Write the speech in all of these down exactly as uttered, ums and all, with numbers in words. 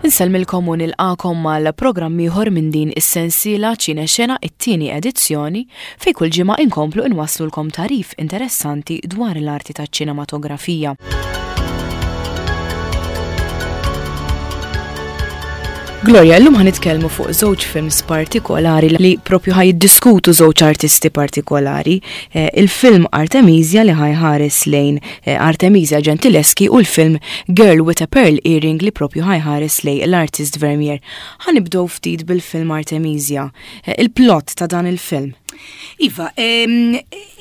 Insellmilkom u nilqagħkom mal-programm ieħor minn din is-sensiela Ċinexena, it-tieni edizzjoni, fejn kull ġimgħa inkomplu inwaslulkom tagħrif interessanti dwar l-arti taċ-ċinematografija. Gloria, llum ħa nitkellmu fuq żewġ films partikolari li propju ħa jiddiskutu żewġ artisti partikolari. Eh, il-film Artemisia li ħa jħares lejn eh, Artemisia Gentileschi u l-film Girl with a Pearl Earring li propju ħa jħares lejn l-artist Vermeer. Ħa nibdew ftit bil-film Artemisia. Eh, il-plot ta' dan il-film. Iva, ehm,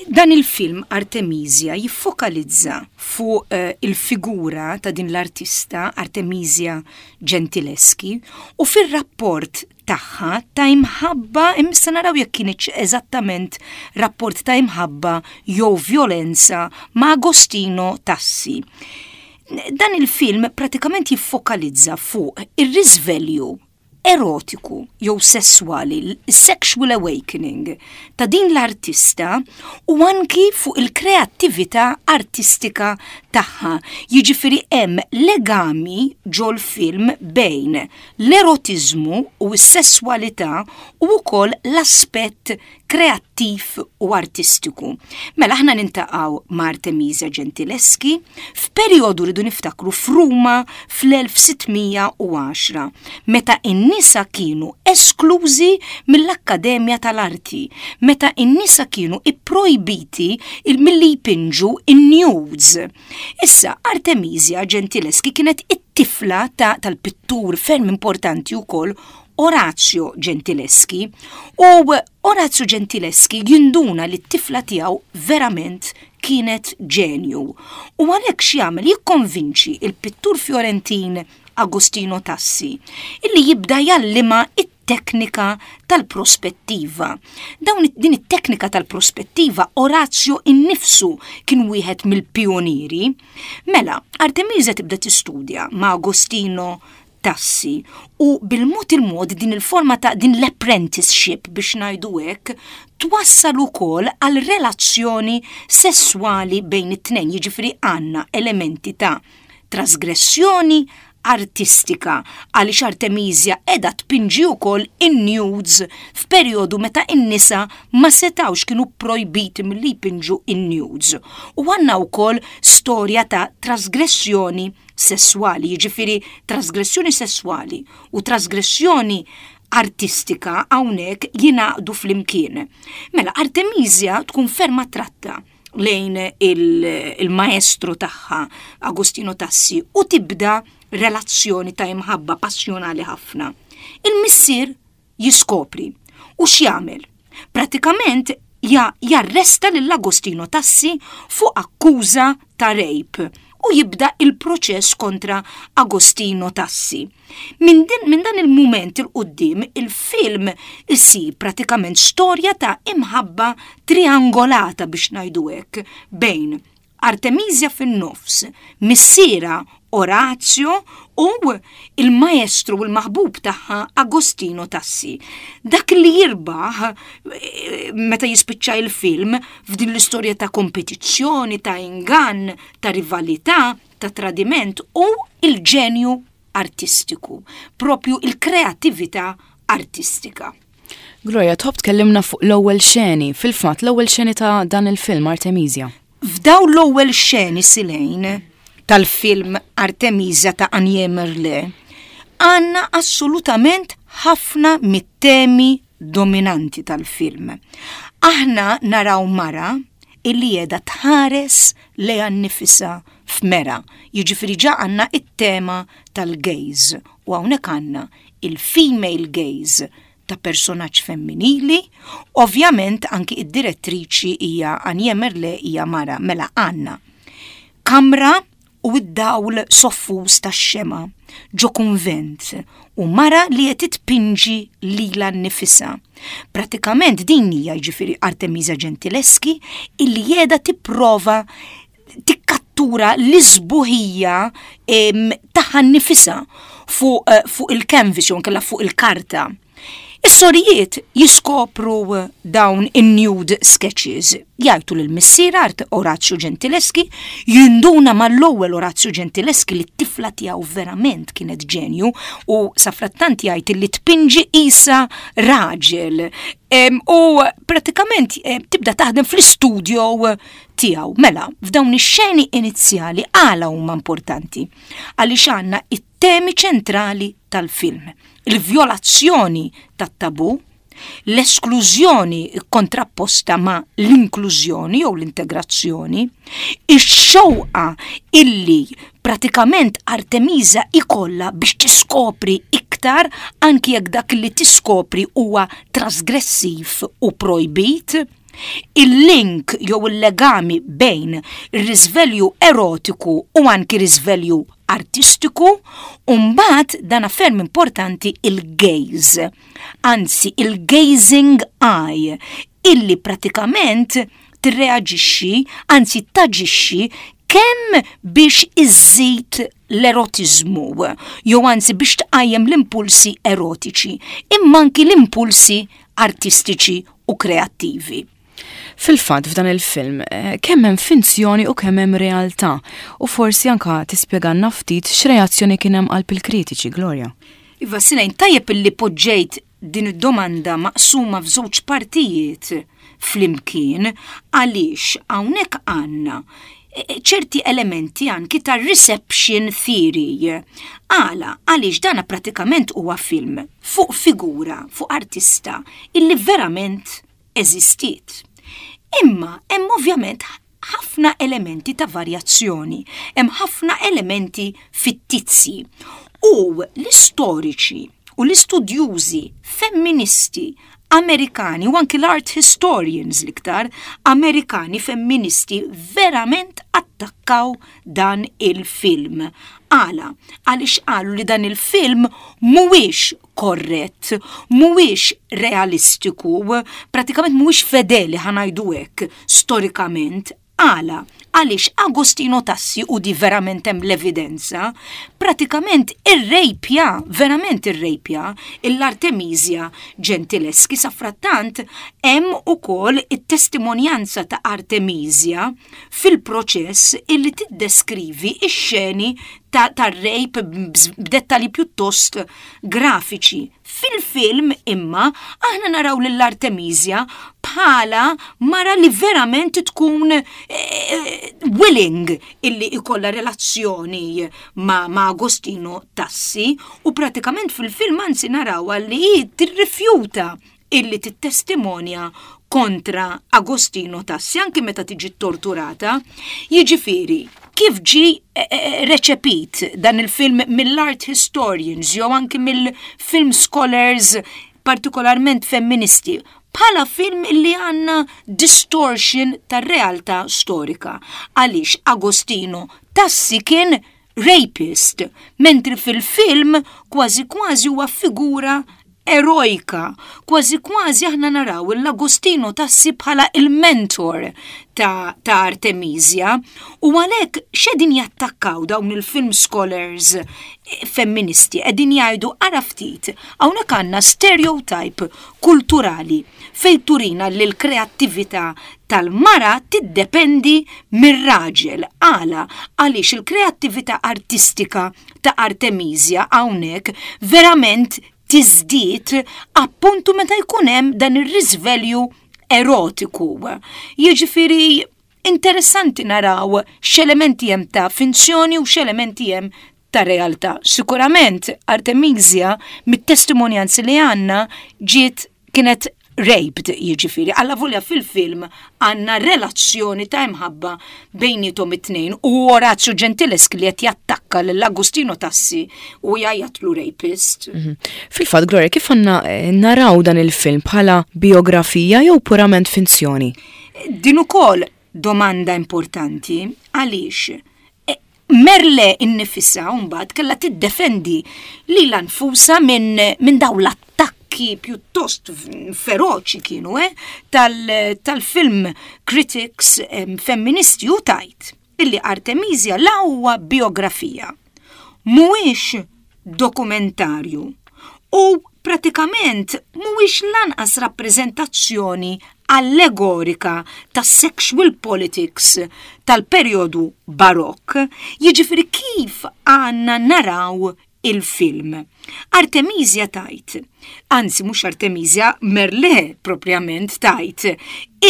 dan il-film Artemisia jiffokalizza fuq eh, il-figura ta' din l-artista Artemisia Gentileschi u fir-rapport tagħha ta' imħabba, imma naraw jekk kienx eżattament rapport ta' imħabba jew violenza, ma' Agostino Tassi. Dan il-film pratikament jiffokalizza fuq ir-risveglju erotiku jew sessuali, sexual awakening ta' din l-artista u anki fuq il-kreattività artistika tagħha. Jiġifieri hemm legami ġol-film bejn l-erotiżmu u s-sesswalità u wkoll l-aspett kreattiv u artistiku. Mela aħna niltaqgħu ma' Artemisia Gentileschi f'perjodu, rridu niftakru, f'Ruma fl-elf sitt mija u għaxra, meta in-nisa kienu esklużi mill-Akkademja tal-Arti, meta in-nisa kienu ipprojbiti milli jpinġu in-nudes. Issa Artemisia Gentileschi kienet it-tifla ta' tal-pittur ferm importanti wkoll Orazio Gentileschi, u Orazio Gentileschi jinduna li t-tifla tiegħu verament kienet ġenju. U għalhekk x'jagħmel? Jikkonvinċi il-pittur Fiorentin Agostino Tassi illi jibda jgħallimha it-teknika tal-prospettiva. Dawn din it-teknika tal-prospettiva Orazio innifsu kien wieħed mill-pionieri. Mela, Artemisia tibda tistudja ma' Agostino Tassi u bil-mod il-mod din il-forma ta' din l-apprenticeship, biex ngħidu hekk, twassal ukoll għal relazzjoni sessuali bejn it-tnejn, jiġifieri għandna elementi ta' trasgressjoni artistika għaliex Artemisia qiegħda tpinġi wkoll in-nudes f'perjodu meta in-nisa ma setawx, kienu projbiti milli jpinġu in-nudes. U għandna wkoll storja ta' trasgressjoni sessuali, jiġifieri trasgressjoni sessuali u trasgressjoni artistika hawnhekk jingħaqdu flimkien. Mela Artemisia tkun ferm attratta lejn il-maestro tagħha Agostino Tassi u tibda relazzjoni ta' imħabba passjonali ħafna. Il-missier jiskopri u x'jagħmel? Pratikament ja jarresta lil Agostino Tassi fuq akkuża ta' rape u jibda il-proċess kontra Agostino Tassi. Min, din, min dan il-moment 'il quddiem il-film isir pratikament storja ta' imħabba triangolata, biex ngħidu hekk, bejn Artemisia fin-nofs, missierha Orazio u il-maestru u l-maħbub tagħha Agostino Tassi. Dak li jirbaħ eh, meta jispiċċa il-film f'din l-istorja ta' kompetizzjoni, ta' ingann, ta' rivalità, ta' tradiment u il-ġenju artistiku, propju il-kreatività artistika. Gloria, tħobb tkellimna fuq l-ewwel xeni, fil-fatt l-ewwel xeni ta' dan il-film Artemisia. F'daw l-ewwel xeni silejn tal-film Artemisia ta' Annie Merle, għandna assolutament ħafna mit-temi dominanti tal-film. Aħna naraw mara illi qiegħda tħares lejha nnifisha f'mera. Jiġifieri ġa għandna it-tema tal-gaze u hawnhekk għandna il-female gaze ta' personaġġ femminili, ovvjament anki id-direttriċi hija Anje Merle, hija mara. Mela għandna kamra u id-dawl soffus tax-xema ġo kunvent u mara li qed tpinġi lilha nnifisha. Pratikament din hija, jiġifieri, Artemisia Gentileschi illi qiegħda tipprova tikkattura l-isbuħija tagħha nnifisha fuq eh, fuq il-canvas jew nkella fuq il-karta. Is-sorijiet jiskopru dawn in-nude sketches. Jgħidu lil missier Art Orazio Gentileschi, jinduna mal-ewwel Orazio Gentileschi li t-tifla tiegħu verament kienet ġenju u safrattant jgħid li tpinġi qisha raġel. U pratikament tibda taħdem fl-istudio tiegħu. Mela, f'dawn ix-xeni inizjali għala huma importanti? Għaliex għandna it-temi ċentrali tal-film. Il-vjolazzjoni tat-tabu, l-esklużjoni kontrapposta ma' l-inklużjoni jew l-integrazzjoni, ix-xewqa illi pratikament Artemisa ikolla biex tiskopri iktar anki jekk dak li tiskopri huwa trasgressiv u projbit, il-link jew il-legami bejn ir-riżvelju erotiku u anki riżvelju artistiku, u mbagħad dan ferm importanti, il-gaze, anzi il-gazing eye, illi pratikament tirreaġixxi, anzi taġixxi kemm biex iżżid l-erotiżmu, jew anzi biex tqajjem l-impulsi erotiċi, imma anki l-impulsi artistiċi u kreattivi. Fil-fatt, f'dan il-film, eh, kemm hemm finzjoni u kemm hemm realtà, u forsi anka tispjegalna ftit x'reazzjoni kien hemm qalb il-kritiċi, Gloria. Iva, Sinejn, tajjeb illi poġġejt din id-domanda maqsuma f'żewġ partijiet flimkien, għaliex hawnhekk għandna eh, ċerti elementi anki ta' reception theory. Għala? Għaliex dana pratikament huwa film fuq figura, fuq artista illi verament eżistiet. Imma hemm ovvjament ħafna elementi ta' varjazzjoni, hemm ħafna elementi fittizji. U l-istoriċi u l-istudjużi femministi Amerikani u anki l-art historians l-iktar Amerikani femministi verament attakkaw dan il-film. Għala? Għaliex qalu li dan il-film mhuwiex korrett, mhuwiex realistiku, pratikament mhuwiex fedeli, ħa ngħidu hekk, storikament. Għala? Għaliex Agostino Tassi, u di verament hemm l-evidenza, pratikament irrejpja, verament irrejpja l-Artemisia Gentileschi. Safrattant hemm ukoll it-testimonjanza ta' Artemisia fil-proċess illi tiddeskrivi ix-xeni tar-rape b'dettali pjuttost grafiċi. Fil-film imma aħna naraw lill-Artemisia bħala mara li verament tkun eh, willing illi ikolla relazzjoni ma, ma Agostino Tassi u pratikament fil-film anzi naraw li tirrifjuta illi tittestimonja kontra Agostino Tassi anki meta tiġi torturata. Jiġifieri, kif ġi eh, eh, reċepit dan il-film mill-art historians jew anki mill-film scholars, partikolarment femministi? Bħala film illi għanna distortion tar-realtà storika. Għaliex Agostino Tassi kien rapist, mentri fil-film kważi kważi huwa figura erojka, kważi kważi aħna naraw l-Agostino Tassi bħala il-mentor ta', ta Artemisia u għalhekk x'qegħdin jattakkaw dawn il-film scholars eh, femministi? Qegħdin jgħidu, ara ftit, hawnhekk għandna stereotype kulturali fejn turina li l-kreattività tal-mara tiddependi mir-raġel. Għala? Għaliex il-kreattività artistika ta' Artemisia hawnhekk verament tiżdied appuntu meta jkun hemm dan ir-riżvelju erotiku. Jiġifieri interessanti naraw x'elementi hemm ta' finzjoni u x'elementi hemm ta' realtà. Sikurament Artemisia, mit-testimonjanzi li għandna, ġiet kienet raped, jiġifieri, alla volja fil-film għandna relazzjoni ta' imħabba bejnietom it-tnejn u Orazio Gentileschi li qed jattakka lil Agostino Tassi u jgħajjatlu rapist. Mhm. Fil-fatt, Gloria, kif għandna eh, naraw dan il-film, bħala biografija jew purament finzjoni? Din ukoll domanda importanti, għaliex eh, Merle innifisha mbagħad kellha tiddefendi lilha nfusha minn min dawn l-attakki pjuttost feroċi kienu eh, tal-film critics femministi u tgħid illi Artemisia la huwa biografija, mhuwiex dokumentarju u Pratikament mhuwiex lanqas rappreżentazzjoni allegorika ta' sexual politics tal-perjodu Barokk, jiġifieri kif għandna naraw il-film. Artemisia tgħid, anzi mhux Artemisia, Merle propjament tgħid,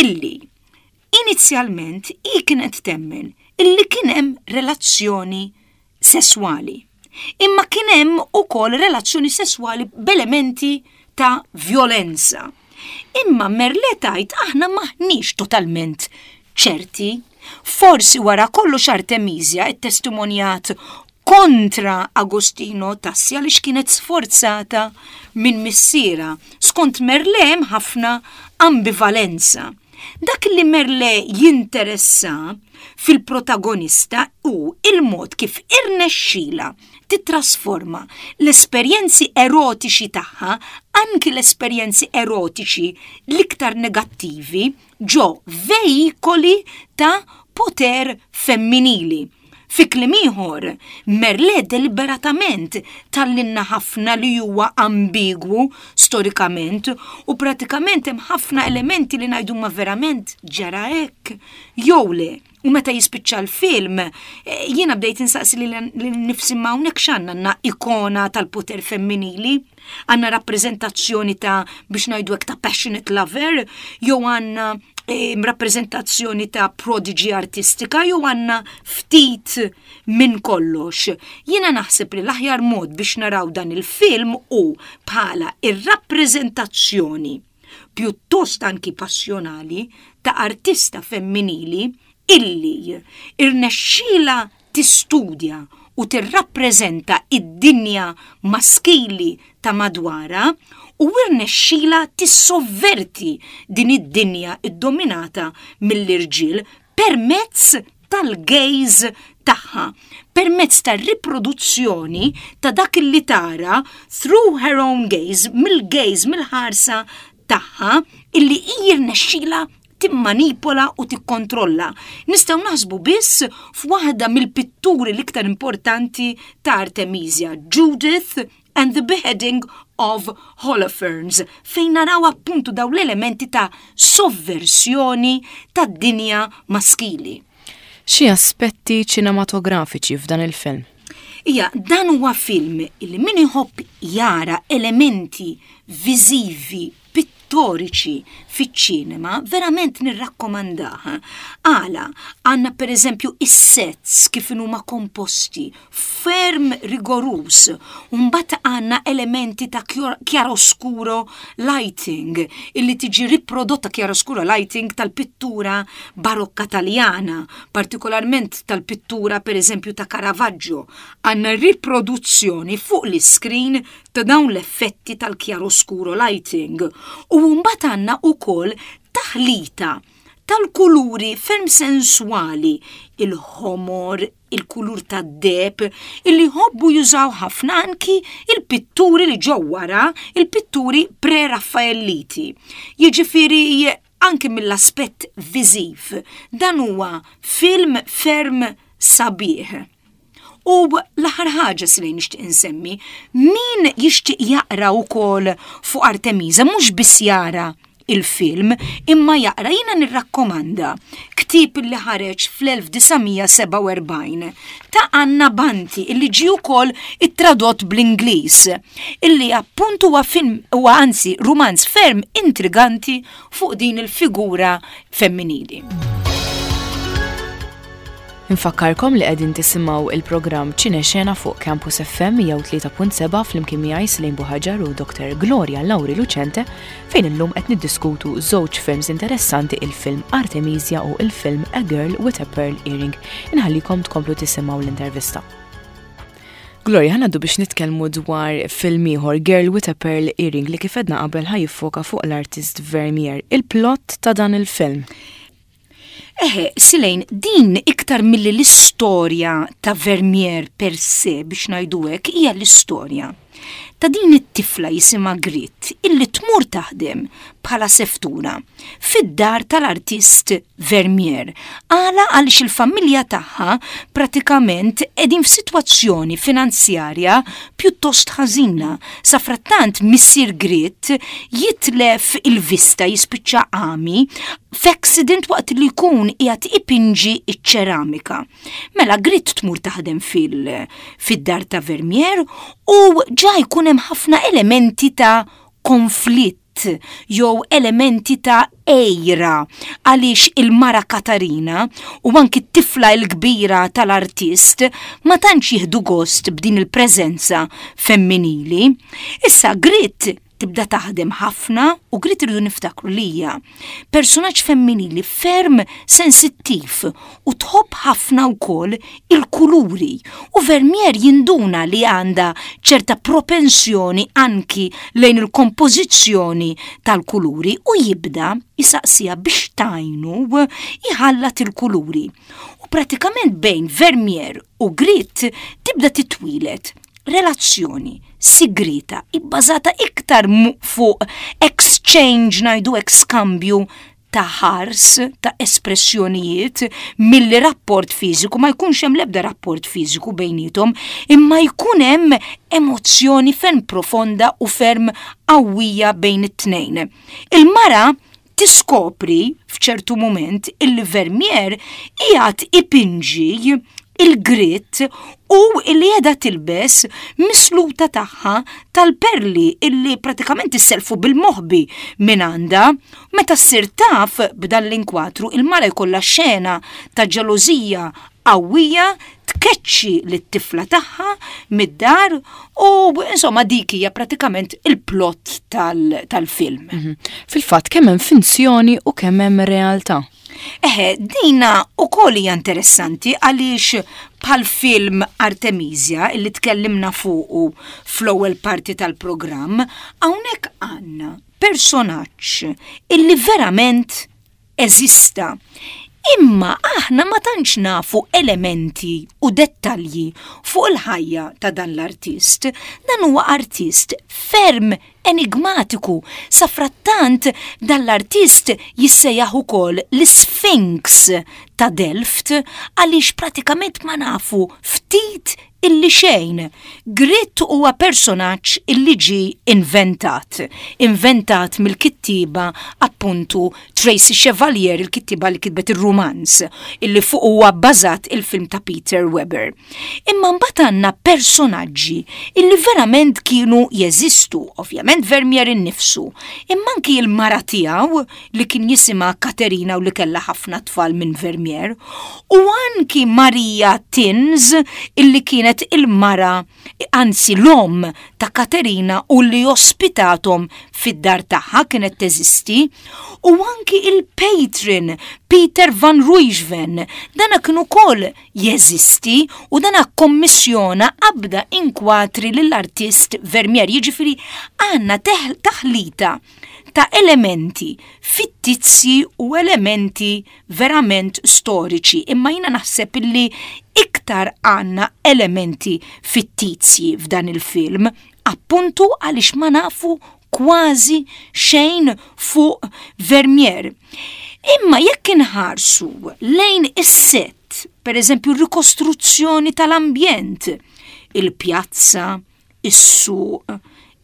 illi inizjalment hi kienet temmen illi kien hemm relazzjoni sesswali. Imma kien hemm ukoll relazzjoni sesswali b'elementi ta' violenza. Imma Merle tgħid aħna maħniex totalment ċerti. Forsi wara kollox Artemisia it-testimonjat kontra Agostino Tassi għaliex kienet sforzata minn missiera. Skont Merle hemm ħafna ambivalenza. Dak li Merle jinteressa fil-protagonista hu il-mod kif irnexxila titrasforma l-esperjenzi erotiċi tagħha, anki l-esperjenzi erotiċi l-iktar negattivi, ġo veikoli ta' poter femminili. Fi kliem ieħor, Merle deliberatament tgħallimna ħafna li huwa ambigwu storikament u pratikament hemm ħafna elementi li ngħidu ma verament ġara hekk jew le. U meta jispiċċa l-film, eh, jiena bdejt insaqsi li nifsi ma hawnhekk x'għandna għandna ikona tal-poter femminili, għandna rappreżentazzjoni ta' biex ngħidu hekk ta' passionate lover, jew għandna eh, rappreżentazzjoni ta' prodigy artistika, jew għandna ftit minn kollox. Jiena naħseb li l-aħjar mod biex naraw dan il-film hu bħala ir-rappreżentazzjoni pjuttost anki passjonali ta' artista femminili illi irnexxila tistudja u tirrappreżenta id-dinja maskili ta' madwara u irnexxila tissovverti din id-dinja iddominata mill-irġiel permezz tal-gaze tagħha, permezz tar-riproduzzjoni ta' dak li tara through her own gaze, mill-gaze, mill-ħarsa tagħha illi jirnexxila timmanipola u tikkontrolla. Nistgħu naħsbu biss f'waħda mill-pitturi l-iktar importanti ta' Artemisia, Judith and the Beheading of Holofernes, fejn naraw appuntu daw l-elementi ta' sovversjoni tad-dinja maskili. Xi aspetti ċinematografiċi f'dan il-film? Ija, dan huwa film illi min iħobb jara elementi viżivi pittoriċi fiċ-ċinema, verament nirrakkomandah. Għala, għandna per eżempju is-sets kif huma komposti, ferm rigoruż, mbagħad għandna elementi ta' chiaroscuro lighting, illi tiġi riprodotta chiaroscuro lighting tal-pittura barokka taljana, partikolarment tal-pittura per eżempju ta' Caravaggio. Għandna riproduzzjoni fuq l-screen ta' dawn l-effetti tal-chiaroscuro lighting. U mbagħad għandna ukoll taħlita tal-kuluri ferm sensuali, il-ħomor, il-kulur tad-deheb, illi jħobbu jużaw ħafna anki il-pitturi li ġew wara, il-pitturi pre-Raffaelliti. Jiġifieri anki mill-aspett viżiv, dan huwa film ferm sabiħ. U l-aħħar ħaġa li nixtieq insemmi, min jixtieq jaqra wkoll fuq Artemisa, mhux biss jara il-film, imma jaqra jiena nirrakkomanda ktieb li ħareġ fl-elf disa' mija sebgħa u erbgħin ta' Anna Banti illi ġie wkoll ittradott bl-Ingliż, illi appuntu huwa film huwa anzi rumanz ferm intriganti fuq din il-figura femminili. Infakkarkom li qegħdin tisimgħu il-programm Ċinexena fuq Campus F M mija u tlieta punt sebgħa flimkien miegħi Celine Buhagiar u Doktor Gloria Lauri Lucente, fejn illum qed niddiskutu żewġ films interessanti, il-film Artemisia u il-film A Girl with a Pearl Earring. Inħallikom tkomplu tisimgħu l-intervista. Gloria, ħa ngħaddu biex nitkellmu dwar film ieħor, Girl with a Pearl Earring, li kif għedna qabel ħa jiffoka fuq l-artist Vermeer. Il-plot ta' dan il-film. Eħe, Silejn, din iktar milli l-istorja ta' Vermeer per se, biex ngħidu hekk, hija l-istorja Ta' din it-tifla jisimha Griet illi tmur taħdem bħala seftura fid-dar tal-artist Vermeer. Għala? Għaliex il-familja tagħha pratikament qegħdin f'sitwazzjoni finanzjarja pjuttost ħażina. Safrattant missier Griet jitlef il-vista, jispiċċa għami f'accident waqt li jkun qiegħed ipinġi iċ-ċeramika. Mela Griet tmur taħdem fil-dar ta' Vermeer u ġa jkun hemm ħafna elementi ta' konflitt jew elementi ta' għira, għaliex il-mara Katarina u anki t-tifla l-kbira tal-artist ma tantx jieħdu gost b'din il-preżenza femminili. Issa Griet tibda taħdem ħafna u Griet, irridu niftakru li hija personaġġ femminili ferm sensittiv u tħobb ħafna wkoll il-kuluri, u Vermeer jinduna li għandha ċerta propensjoni anki lejn il-kompożizzjoni tal-kuluri u jibda jisaqsija biex tgħinu jħallat il-kuluri. U pratikament bejn Vermeer u Griet tibda titwieled relazzjoni sigrita ibbażata iktar fuq exchange, ngħidu skambju ta' ħars, ta' espressjonijiet, milli rapport fiżiku. Ma jkunx hemm l-ebda rapport fiżiku bejnietom, imma jkun hemm emozzjoni ferm profonda u ferm qawwija bejn it-tnejn. Il-mara tiskopri f'ċertu moment illi Vermeer qiegħed ipinġi lil Griet u illi qiegħda tilbes misluta tagħha tal-perli illi pratikament isselfu bil-moħbi minn għandha. Meta ssir taf b'dan l-inkwatru, il-mara jkollha xena ta' ġelożija qawwija, tkeċċi lit-tifla tagħha mid-dar u insomma dik hija pratikament il-plot tal-film. Mhm. Fil-fatt kemm hemm finzjoni u kemm hemm realtà. Eħe, dina ukoll hija interessanti għaliex bħal film Artemisia illi tkellimna fuqu fl-ewwel parti tal-programm, hawnhekk għandna personaġġ illi verament eżista. Imma aħna ma tantx nafu elementi u dettalji fuq il-ħajja ta' dan l-artist. Dan huwa artist ferm enigmatiku. Safrattant dan l-artist jissejjaħ ukoll l-Sphinx ta' Delft għaliex pratikament ma nafu ftit illi xejn. Griet huwa personaġġ illi ġi inventat. Inventat mill-kittiba appuntu Tracy Chevalier, il-kittiba li kitbet il-romanz, illi fuq huwa bbażat il-film ta' Peter Weber. Imma mbagħad għandna personaġġi illi verament kienu jeżistu, ovvjament Vermeer innifsu, imma anki il-mara tiegħu li kien jisimha Katerina u li kellha ħafna tfal minn Vermeer, u anki Maria Thins illi kienet il-mara, anzi l-om ta' Katerina u li ospitatom fid-dar tagħha, kienet teżisti, u anki il-patron Peter van Ruijven, dana kien ukoll jeżisti u dana kommissjona qabda inkwatri lill-artist Vermeer. Jiġifieri għandna taħlita ta' elementi fittizji u elementi verament storiċi, imma jiena naħseb illi iktar għandna elementi fittizji f'dan il-film, appuntu għaliex ma nafu kważi xejn fuq Vermeer. Imma jekk inħarsu lejn is-set, per eżempju rikostruzzjoni tal-ambjent, il-pjazza, is-suq,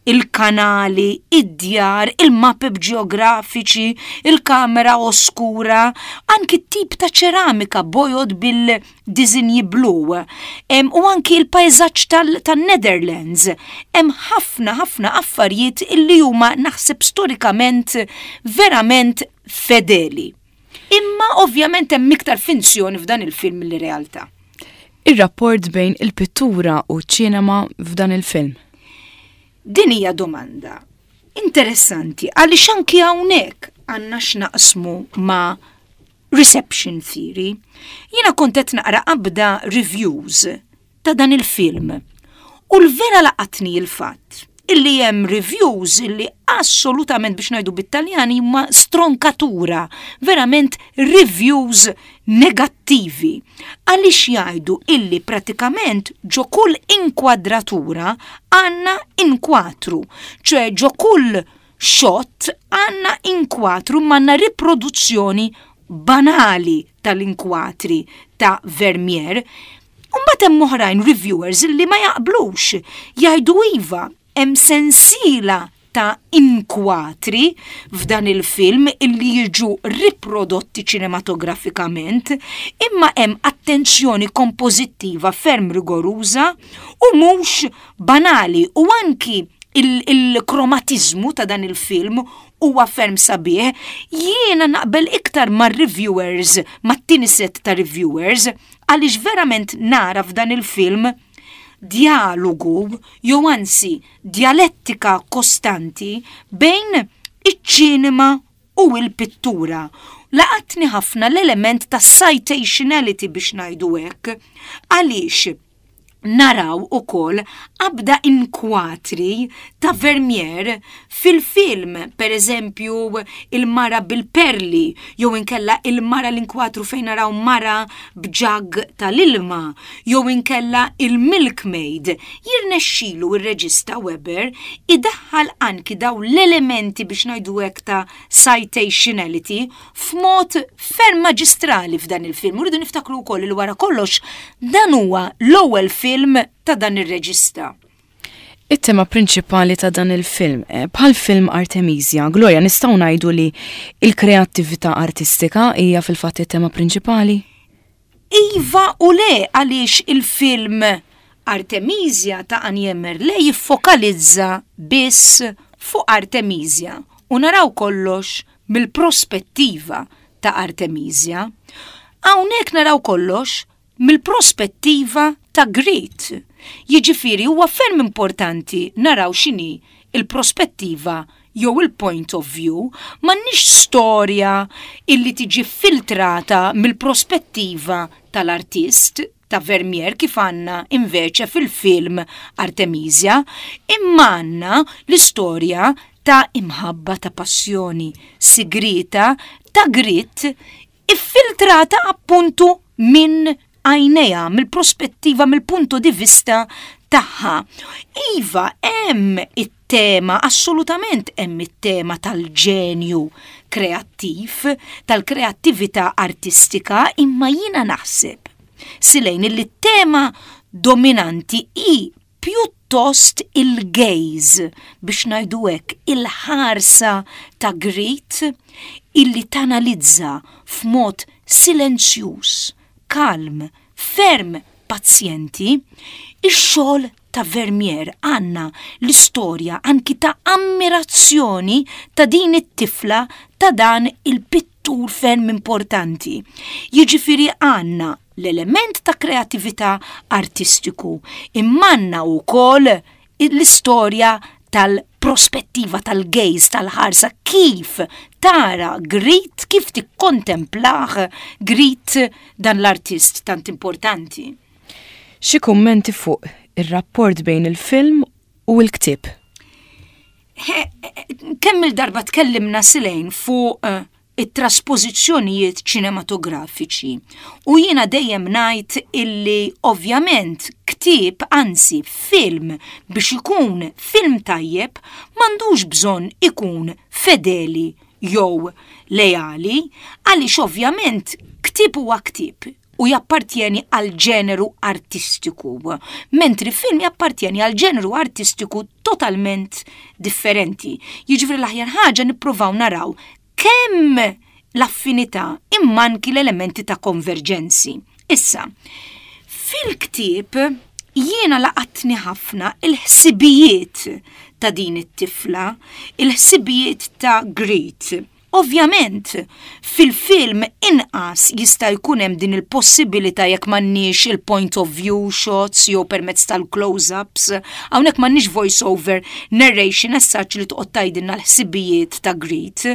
il-kanali, id-djar, il-mapep ġeografiċi, il-kamera oskura, anki tip ta' ċeramika bojod bil-dizinji blu, u anki il-pajzaġġ tal-Netherlands. Hemm ħafna ħafna affarijiet illi huma, naħseb, storikament verament fedeli. Imma ovvjament hemm iktar finzjoni f'dan il-film mill-realtà. Ir-rapport bejn il-pittura u ċ-ċinema f'dan il-film. Din hija domanda interessanti għaliex anki hawnhekk għandna x'naqsmu ma' reception theory. Jiena kont qed naqra qabda reviews ta' dan il-film u l-vera laqatni il-fatt Illi hemm reviews illi assolutament, biex ngħidu bit-Taljan, huma stroncatura, verament reviews negattivi. Għaliex jgħidu illi pratikament ġo kull inkwadratura għandna inkwatru, ċe ġo kull shot għandna inkwatru, m'għandna riproduzzjoni banali tal-inkwatri ta' Vermeer. Mbagħad hemm oħrajn reviewers illi ma jaqblux, jgħidu iva, hemm sensiela ta' inkwatri f'dan il-film illi jiġu riprodotti ċinematografikament, imma hemm attenzjoni kompożittiva ferm rigoruża u mhux banali, u anki il-kromatizmu ta' dan il-film huwa ferm sabiħ. Jiena naqbel iktar ma' reviewers, mat-tieni set ta' reviewers, għaliex verament nara f'dan il-film dialogu, jew anzi dialettika kostanti bejn iċ-ċinema u l-pittura. Laqatni ħafna l-element ta' citationality, biex ngħidu hekk, għaliex naraw ukoll abda inkwatri ta' Vermeer fil-film, per eżempju il-mara bil-perli, jew inkella il-mara, l-inkwatru fejn naraw mara b'jug tal-ilma, jew inkella il-milkmaid. Jirnexxilu ir-reġista Webber idaħħal anki daw l-elementi, biex ngħidu hekk, ta' citationality f'mod ferm maġistrali f'dan il-film. Uridu niftakru wkoll li wara kollox dan huwa l-ewwel film film ta' dan ir-reġista. It-tema prinċipali ta' dan il-film, eh, bħal film Artemisia, Gloria, nistgħu ngħidu li il-kreattività artistika hija fil-fatt it-tema prinċipali? Iva u le, għaliex il-film Artemisia ta' Annie Merle jiffokalizza biss fuq Artemisia u naraw kollox mill-prospettiva ta' Artemisia. Hawnhekk naraw kollox mill-prospettiva ta' Griet. Jiġifieri huwa ferm importanti naraw x'inhi il-prospettiva jew il-point of view, m'għandniex storja illi tiġi filtrata mill-prospettiva tal-artist ta' Vermeer kif għandna inveċe fil-film Artemisia, imma għandna l-istorja ta' imħabba, ta' passjoni sigrita ta' Griet, iffiltrata appuntu minn għajnejha, mill-prospettiva, mill-punto di vista tagħha. Iva, hemm it-tema, assolutament hemm it-tema tal-ġenju kreattiv, tal-kreattività artistika, imma jiena naħseb, Silejn, li t-tema dominanti hi pjuttost il-gaze, biex ngħidu hekk, il-ħarsa ta' Griet illi tanalizza f'mod silenzjuż, kalm, ferm pazjenti, ix-xogħol ta' Vermeer. Għandna l-istorja anki ta' ammirazzjoni ta' din it-tifla ta' dan il-pittur ferm importanti. Jiġifieri għandna l-element ta' kreatività artistiku, imma għandna wkoll l-istorja tal-prospettiva tal-gaze, tal-ħarsa, kif tara Griet, kif tikkontemplah Griet dan l-artist tant importanti. Xi kummenti fuq ir-rapport bejn il-film u l-ktieb? Kemm il-darba tkellimna, Silejn, fuq eh, it-traspożizzjonijiet ċinematografiċi. U jiena dejjem ngħid illi ovvjament ktieb, anzi film, biex ikun film tajjeb m'għandux bżonn ikun fedeli jew leali, għaliex ovvjament ktieb huwa ktieb u jappartjeni għal ġeneru artistiku, mentri film jappartjeni għal ġeneru artistiku totalment differenti. Jiġifieri l-aħjar ħaġa nippruvaw naraw kemm l-affinità imma anki l-elementi ta' konverġenzi. Issa, fil-ktieb jiena laqatni ħafna il-ħsibijiet ta' din it-tifla, il-ħsibijiet ta' Griet. Ovvjament, fil-film inqas jista' jkun hemm din il-possibilità jekk m'għandniex il-point of view shots jew permezz tal-close-ups, hawnhekk m'għandniex voice-over narration as such li toqgħod tgħidilna l-ħsibijiet ta' Griet.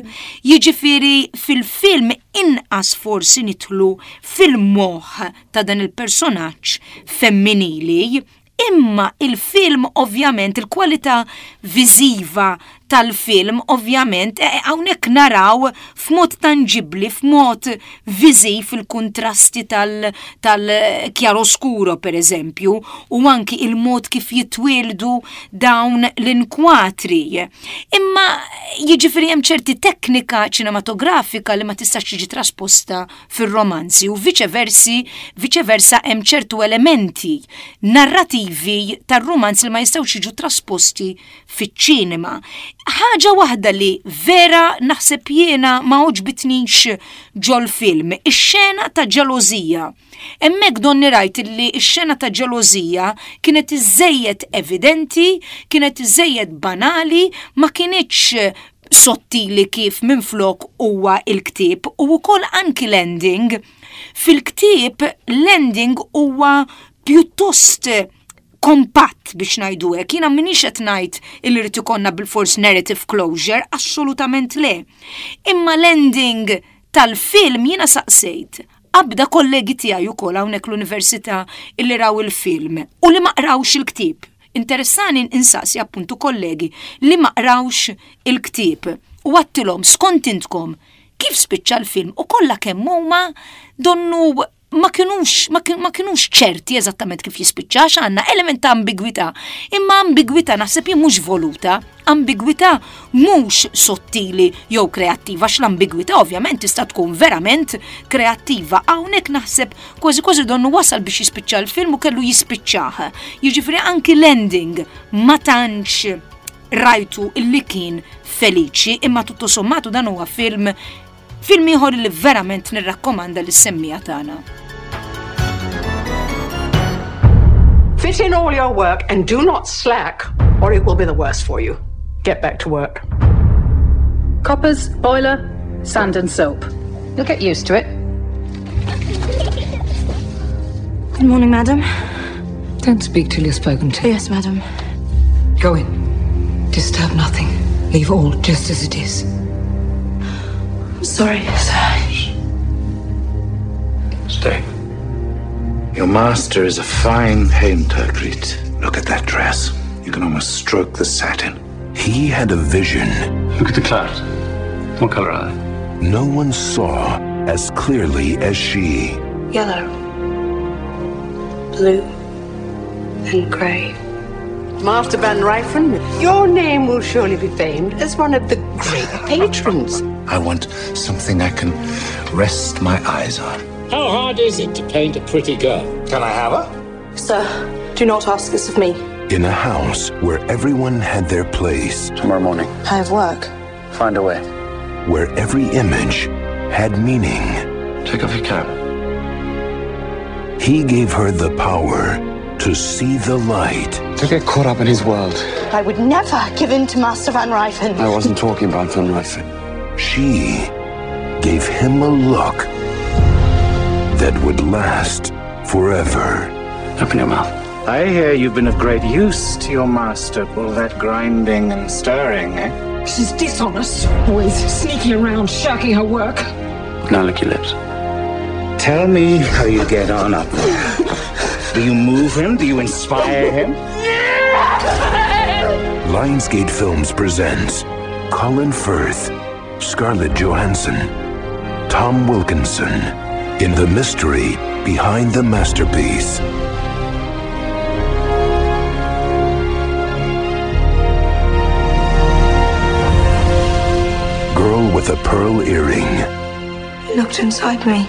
Jiġifieri fil-film inqas forsi nidħlu fil-moħħ ta' dan il-personaġġ femminili, Imma il-film ovvjament, il-kwalità viżiva tal-film ovvjament, eh, hawnhekk naraw f'mod tangibli, f'mod viżiv il-kontrasti tal-chiaroscuro per eżempju, u anki il-mod kif jitwieldu dawn l-inkwatri. Imma jiġifieri hemm ċerti teknika ċinematografika li ma tistax tiġi trasposta fir-romanzi u viċeversi, viċeversa hemm ċertu elementi narrativi tar-romanzi li ma jistgħux jiġu trasposti fiċ-ċinema. Ħaġa waħda li vera naħseb jiena ma għoġbitnix ġol-film, ix-xena ta' ġelożija. Hemmhekk donni rajt li x-xena ta' ġelożija kienet iżejjed evidenti, kienet iżejjed banali, ma kinitx sottili kif minflok huwa il-ktieb u wkoll anki l-ending. Fil-ktieb l-ending huwa pjuttost kompatt biex ngħidu hekk. Jiena m'iniex qed ngħid illi rrid ikollna bilfors narrative closure, assolutament le. Imma l-ending tal-film jiena saqsejt abda kollegi tiegħi wkoll hawnhekk l-università illi raw il-film u li ma qrawx il-ktieb. Interessani insaqsi appuntu kollegi li ma qrawx il-ktieb u għedtilhom skont intkom kif spiċċa l-film u kollha kemm huma donnu ma kienux, ma kienux ċerti eżattament kif jispiċċa għandna element ta' ambigwità. Imma ambigwità naħseb jien mhux voluta, ambigwità mhux sottili jew kreattiva, għax l-ambigwità ovvjament tista' tkun verament kreattiva. Hawnhekk naħseb kważi kważi donnu wasal biex jispiċċa l-film u kellu jispiċċah. Jiġifieri anki l-ending ma tantx rajtu illi kien feliċi, imma tutto sommato dan huwa film film ieħor li verament nirrakkomanda lis-semmiegħa tagħna. Fit in all your work and do not slack, or it will be the worse for you. Get back to work. Coppers, boiler, sand and soap. You'll get used to it. Good morning, madam. Don't speak till you're spoken to. Yes, madam. Go in. Disturb nothing. Leave all just as it is. I'm sorry, sir. Stay. Your master is a fine painter, Griet. Look at that dress. You can almost stroke the satin. He had a vision. Look at the clouds. What color are they? No one saw as clearly as she. Yellow, blue, and grey. Master Van Rijffen, your name will surely be famed as one of the great patrons. I want something I can rest my eyes on. How hard is it to paint a pretty girl? Can I have her? Sir, do not ask this of me. In a house where everyone had their place. Tomorrow morning. I have work. Find a way. Where every image had meaning. Take off your cap. He gave her the power to see the light. To get caught up in his world. I would never give in to Master Van Rijffen. I wasn't talking about Van Rijffen. She gave him a look that would last forever. Open your mouth. I hear you've been of great use to your master, all that grinding and stirring, eh? She's dishonest, always sneaking around, shirking her work. Now lick your lips. Tell me how you get on up there. Do you move him? Do you inspire him? Lionsgate Films presents Colin Firth, Scarlett Johansson, Tom Wilkinson, in the mystery behind the masterpiece. Girl with a Pearl Earring. He looked inside me.